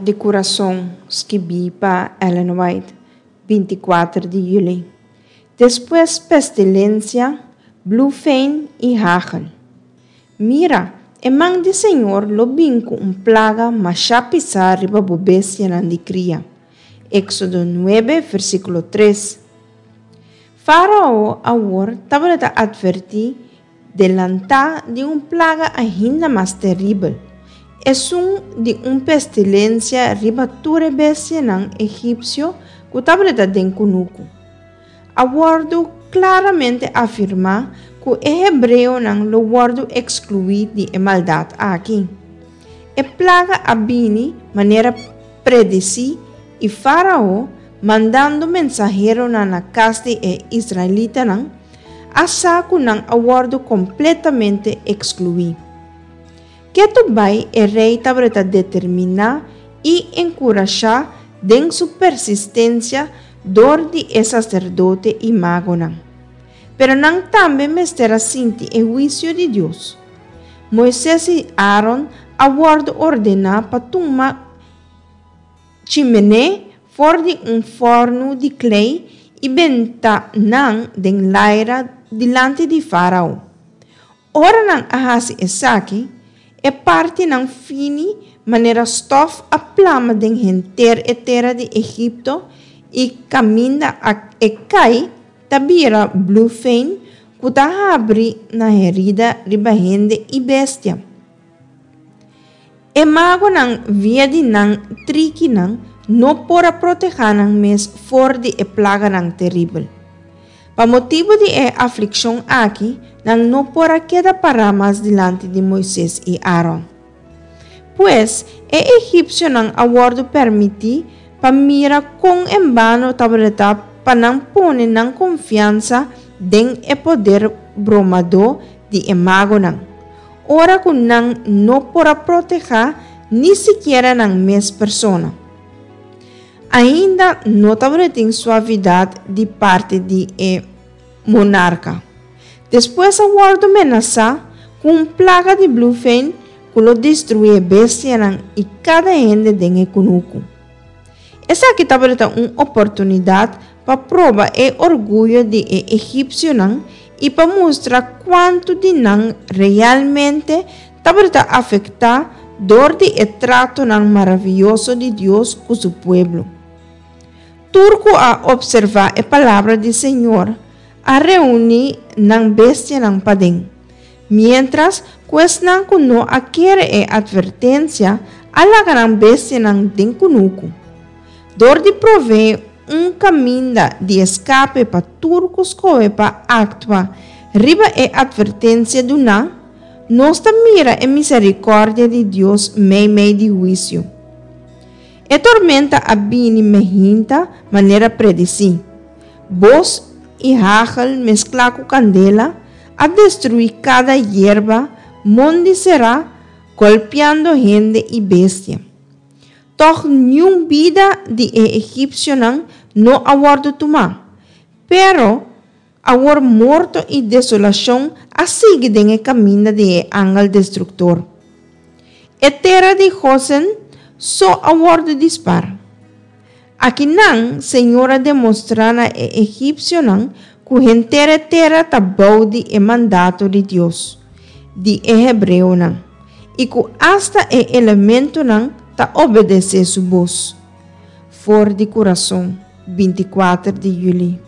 di kurason skibí pa Ellen White, 24 di yüli. Despues pestilensia, blufein i hagel. Mira, e man di Señor lo bin ku un plaga mashá pisá riba bo bestianan di kria. Éksodo 9, versíkulo 3. Fárao awor tabata atvertí Delantá di un plaga ainda mas teribel, esun di un pestilensia riba tur e bestianan egipsio ku tabata den kunuku. A wòrdu klaramente afirmá ku e hebreonan lo wòrdu ekskluí di e maldat aki. E plaga a bini manera predisí i Fárao, mandando mensaheronan na kas di e israelitanan, a sa ku nan a wòrdu kompletamente ekskluí. Ketu bai e rei tabata determiná i enkurashá den su persistensia dor di e saserdote i magonan. Pero nan tambe mester a sinti e huisio di Dios. Moises i Aaron a wòrdu ordená pa tuma Chimené for di un fòrnu di klei i benta nan den laira dilanti di Fárao. Ora nan a hasi esaki, e partinan fini manera stòf a plama den henter e tera di Egipto i kaminda a e kai ta bira blufein ku ta habri na herida riba hende i bestia. E magonan via di nan trikinan no por a protehá nan mes for di e plaganan teribel. Pa motibu di e aflikshon aki, nan no por a keda pará mas dilanti di Moises i Aaron. Pues, e egipsionan a wòrdu permití pa mira kon en bano tabata pa nan pone nan konfiansa den e poder bromadó di e magonan. Ora ku nan no por a protehá ni sikiera nan mes persona. Ainda no tabatin suavidat di parti di e monarka. Despues a wòrdu menasá ku un plaga di blufein ku lo destruí e bestianan i kada hende den e kunuku. Esaki tabata un oportunidat pa proba e orguyo di e egipsionan i pa mustra kuantu di nan realmente tabata afektá dor di e tratonan maravioso di Dios ku su pueblo. Tur ku a opservá e palabra di Señor a reuní nan bestianan paden, miéntras ku esnan ku no a kere e atvertensia a laga nan bestianan den kunuku. Dor di proveé un kaminda di eskape pa tur ku skohe pa aktua riba e atvertensia duná, nos ta mira e miserikòrdia di Dios meimei di huisio. E tormenta a bini mehinta manera predisí. Bos i hagel mesklá ku kandela a destruí kada yerba, mondi será, golpiando hende i bestia. Tòg niun bida di e egipsionan no a wòrdu tumá. Pero, awor morto i desolashon a sigui den e kaminda di e angel destruktor. E tera di Gosen so a wòrdu di spar. Akinan Señor a demostrá na e egipsionan ku henter e tera ta bou di e mandato di Dios di e hebreonan i ku asta e elementonan ta obedesé su bos. For di kurason, 24 di yüli.